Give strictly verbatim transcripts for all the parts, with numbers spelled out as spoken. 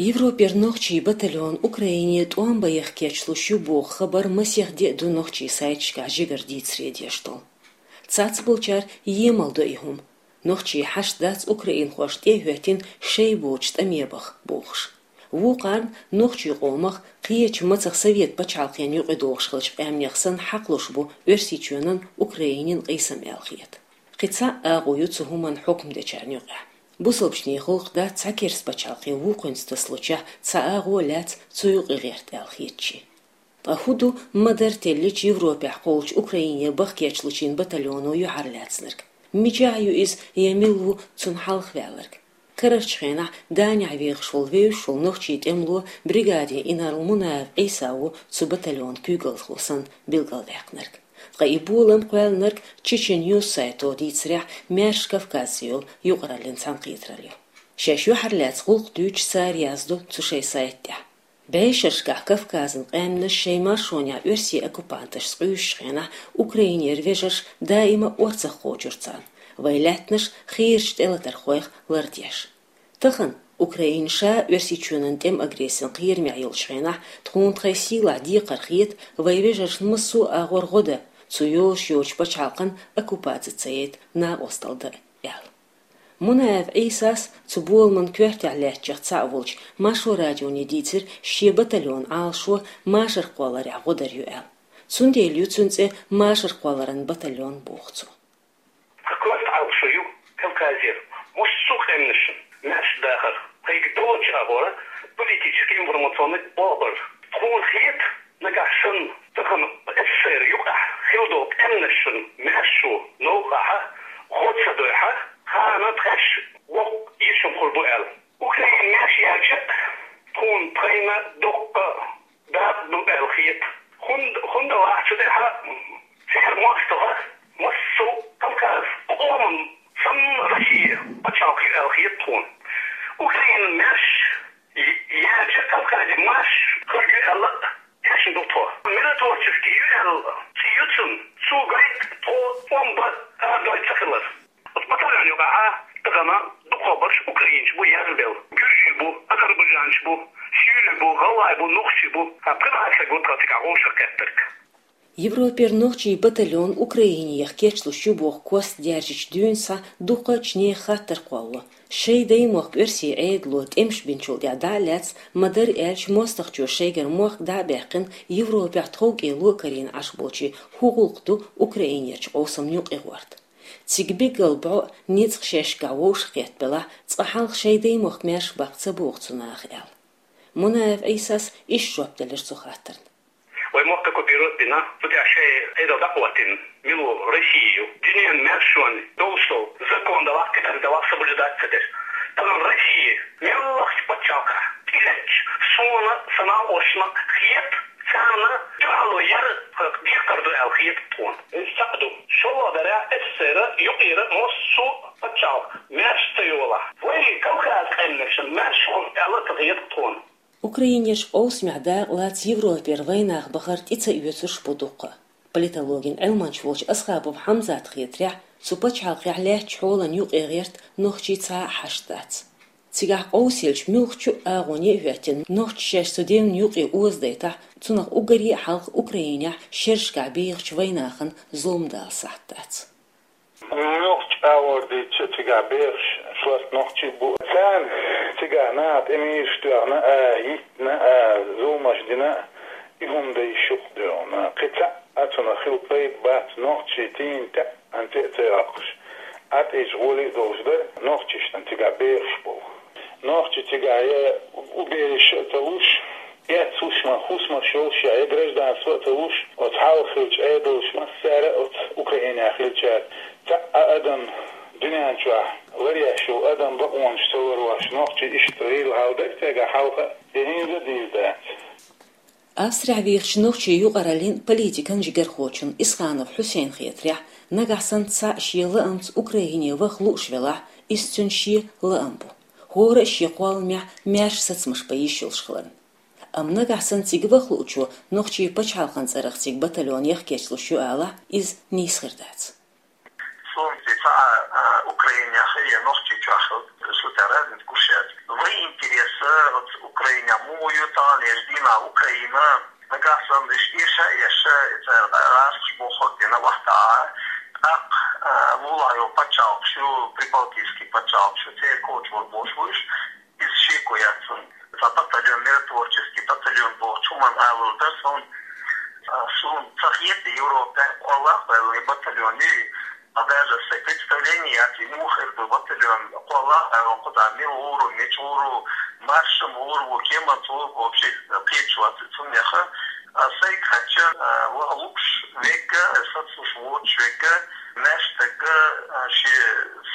Европера нохчийн батальон Украине тӀом бан яха кечлуш ю боху хабар масех де а ду нохчийн сайташкахь жигара дийцаре деш долу. Цхьаццаболчара емал до и хӀума. Нохчийн хьашт дац украинхошна тӀе а хӀоьттина шайн боцчу тӀаме баха бохуш. Вукхарна нохчийн къомах кхечу мацах совет пачхьалкхана юкъа догӀуш хиллачу къаьмнех санна хьакхалуш бу Оьрсийчоьнан, Украинин къийсам аьлла хета. Кхин цхьа агӀо ю цу хӀуманна хьукам дечарна юкъахь. Бусалбачийн гӀуллакх дац цхьа керста пачхьалкхе вукхуьнца тасалучехь цхьа агӀо а лаьцна цу юкъа гӀерта аьлла хетачийн. Ткъа хӀун ду ма-дарра теллича Европехь кхоллучу Украине баха кечлучийн батальоно юьхьарлаьцнарг? Мичахь ю иза я мила ву цунна хьалха ваьлларг? Карарчу хенахь Данехь вехаш волу вевзаш волу нохчийн тӀемало бригадин инарла Мунаев Ӏийса ву цу батальонан куьйгалхо санна билгалваьккхинарг. Ткъа и болам кхоьллинарг Чечен Ньюс сайто дийцарехь, Маьрша Кавказца йолу юкъараллин цхьаьнакхетаралла ю. Шаьш юьхьарлаьцна гӀуллакх дуьйцуш цара яздо цу шайн сайта тӀехь. БӀешерашкахь Кавказан къаьмнаш шайн маршонехь оьрсийн оккупанташца къуьйсучу хенахь Украинера вежарш даима а орцах кхочура царна. Вайн лаьттанаш хийрачу тӀелатархойх лардеш. Тахана Украина ша Оьрсийчоьнан тӀеман агрессин кхерамехь йолчу хенахь тхуна тхайн сийлахь декхар хета вайн вежаршна массо а агӀор гӀо дан, цу йолуш йоцучу пачхьалкхан оккупаци ца яйта накъосталла дан, аьлла. Мунаев Ӏийсас, цу боламан коьртехь лаьттачех цхьаъ волчу Маршо радионе дийцира шен батальонан Ӏалашо машар кхолларехь гӀо дар ю аьлла. Цундела ю цуьнан цӀе машар кхолларан батальон, боху цо. Хьан коьрта Ӏалашо ю Кавказера массо а къаьмнашна маьрша дахар, пайда долчу агӀора политически-информационный болх бар. Тхуна хета, нагахь санна тахана СССР юкъахь хилла долу къаьмнашна маьршо новкъахь гӀо ца дойхьа, ханна тхаьш воккха эшам хур бу аьлла. Украина маьрша яьлча, тхуна тхайна доккха дакъа ду аьлла хета. ХӀунда, хӀунда вац цу тӀехь церан мостагӀа массо а Кавказ къоман санна Россия пачхьалкх ю аьлла хета тхуна. Украина маьрша яьлча, Кавказе марша хир ю аьлла а эшна ду тхо. Миротворческий ю аьлла цӀе ю цуьнан, цо гойту тхо тӀом бан арадойла ца хилар. Оцу батальон юкъахь тахана дукхахберш украинцаш бу язбелла. Гуьржий бу, азербайджанцаш бу, сийлий бу, гӀалгӀай бу, нохчий бу. Ткъа пхи бӀе стаг ву тхан цигахь вовшах кхеттарг. Европера нохчийн батальон Украинех кечлуш ю боху кост даьржичу дуьйна схьа дукхачу нехан хаттар кхолло. Шайн даймохк оьрсийн Ӏедало тӀемаш бинчул тӀаьхьа дӀа а лаьцна, ма-дарра аьлча, мостагӀчо шайгара мохк дӀа а баьккхина, Европехь тховкӀело а карийна Ӏаш болчийн хӀун гӀуллакх ду Украинерчу къовсамна юкъа гӀорта? Цига билггал бӀо а, ницкъ шаьшкахь вовшахкхетта белахь, цкъа хьалха шайн даймохк маьрша баккха ца боху цу наха, аьлла. Мунаев Ӏийсас иштта жоп делира цу хаттарна. Вай мохк оккупировать бина, цу тӀехь шайн Ӏедал дӀакхоьттина мила ву Россия ю? Дуьненан маьршонна долуш долу закон далахь, кхидерг далахь соблюдать ца деш. Тахана Россия муьлххачу пачхьалкхехь тӀелеттачу суна, сан накъосташна хета, царна дуьхьало яр декхар ду аьлла хета тхуна. Иза цхьаъ ду. ШоллагӀа дарехь СССР юкъера массо а пачхьалкх маьрша ца йолахь, вай Кавказ къаьмнашна маьрша хуьлу аьлла ца хета тхуна. Украинерчу къовсамехь дакъалаца Европера вайнах бахар тӀе ца оьцурш бу дуккха. Политологин Ӏилманча волчу Асхабов Хьамзата хетарехь, цу пачхьалкхехь лаьттачу хьолан юкъа гӀерта нохчийн цхьа а хьашт дац. Цигахь къовсаеллачу муьлххачу а агӀоне а хӀоьттина, нохчаша шаьш цу девнна юкъе озадайтахь, цунах уггаре а хьалха Украинехь шерашкахь бехачу вайнахана зулам дала сахьт дац. Нохчийн агӀор дийцча, цигахь бехаш шортта нохчий бу. Царна цигахь наха тӀе мийраш тоьхна а, йиттина а, зуламаш дина а, и хӀума дан йиш ю-кх дуьйна. Кхин цхьа а цунах хила пайда бац, нохчий тийна тӀе а, ан тӀе а ца йоккхуш, Ӏа тӀе гӀоли а долуш дара нохчашна цигахь бехаш болу. Нохчий цигахь я убежище а ца луш, эццахуш ма, хӀусамаш йолуш я, я гражданство а ца луш, оцу хьалха хиллачу Ӏедалша массара а, оцу Украинехь хиллачара, цхьа а адам дуьнен чохь ларъеш йолу адам бакъонаш ца ларъеш, нохчий иштта гӀийла хьал дара цигахь хьалха а, я хӀинца а дийр дац. Австрехь вехачу нохчийн юкъараллин политикан жигархочун Исханов Хьусейнан хетарехь, нагахь санна цхьаъ шен лаамца Украине ваха лууш велахь, иза цуьнан шен лаам бу. ХӀора а шен кхолламехь маьрша сацамаш бан йиш йолуш хиларна. Амма нагахь санна цига ваха луучо нохчийн пачхьалкхан цӀарах цига батальонех кечлуш ю алахь, иза нийса хир дац. Суна Ци ца а, Украинах я нохчи чахал су таразин кушат. Вай интереса Украина мою тан еш дина Украина. Нагахь санна иш иша, иша, ица рас бохок дина вахта. Ак, а, вула ю пачалчу, прибалтийский пачалчу, церковь чур бошуш. Из шеко яцун. Ца батальон, миротворческий батальон бохчу ман алул да сон, а, сун цахет Европа, Аллах, батальони, а даже с представление яци мухер бы батальон, Аллах, а куда мил уру, меч уру, маршем уру, кеман цу вообще кечу аци цунеха. А сай кача, а, ва лукш века, сацуш воч века, наш така, а, ши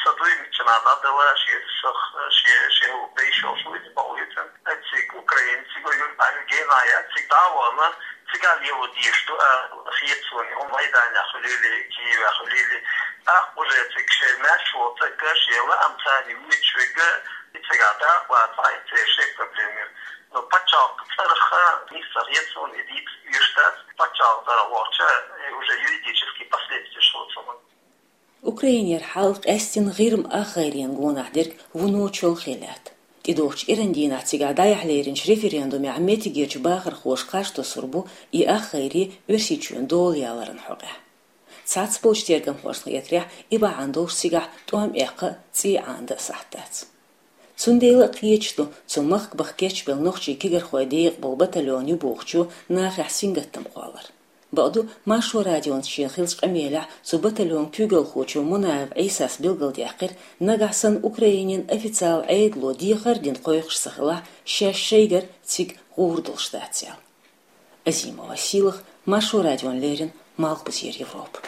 садуй мичана дадала, ши сах, ши, ши бейшо шуй бауитен. Цик украинци го юн альгена я, цик давана, цик аль его дишту, а, хиетсуни, он Майдане хулили, Киеве хулили. А уже цик ше наш вот така ши ла амцани мич века, и цик а да, ва тай ци ше проблемы. Но пачалк царха, ни сахет сон эдит юштат, пачалк царха воча, э, уже юридические последствия шо цоман. Украинер хьал къаьстина гӀирма ахгӀайрен гонахь дерг вуно чолхе лаьтта. ТӀедогӀучу эран дийнахь цигахь дӀаяхьа леринчу референдумехь меттигерчу бахархоша кхаж тосур бу и ахгӀайре Оьрсийчоьнан дола яларан хьокъехь. Цхьацца болчу тергамхошна хетарехь, и бахьана долуш цигахь тӀом эккха а, цӀий Ӏанадан а сахьт дац. Цундела а кхеташ ду, цу махках кечбелла нохчийн кегийрхойн декъа болу батальон ю бохучо нахехь сингаттам кхоллар. Бакъду, Маршо радионца шена хиллачу къамелехь цу батальонан куьйгалхочо Мунаев Ӏийсас билгалдаьккхира, нагахь санна Украинин официалан Ӏедало дехар а дина кхойкхуш ца хилахь, шаьш шайгара цига гӀур долуш дац аьлла. Азимова Сийлаха, Маршо радиона леррина, Малхбузера Европа.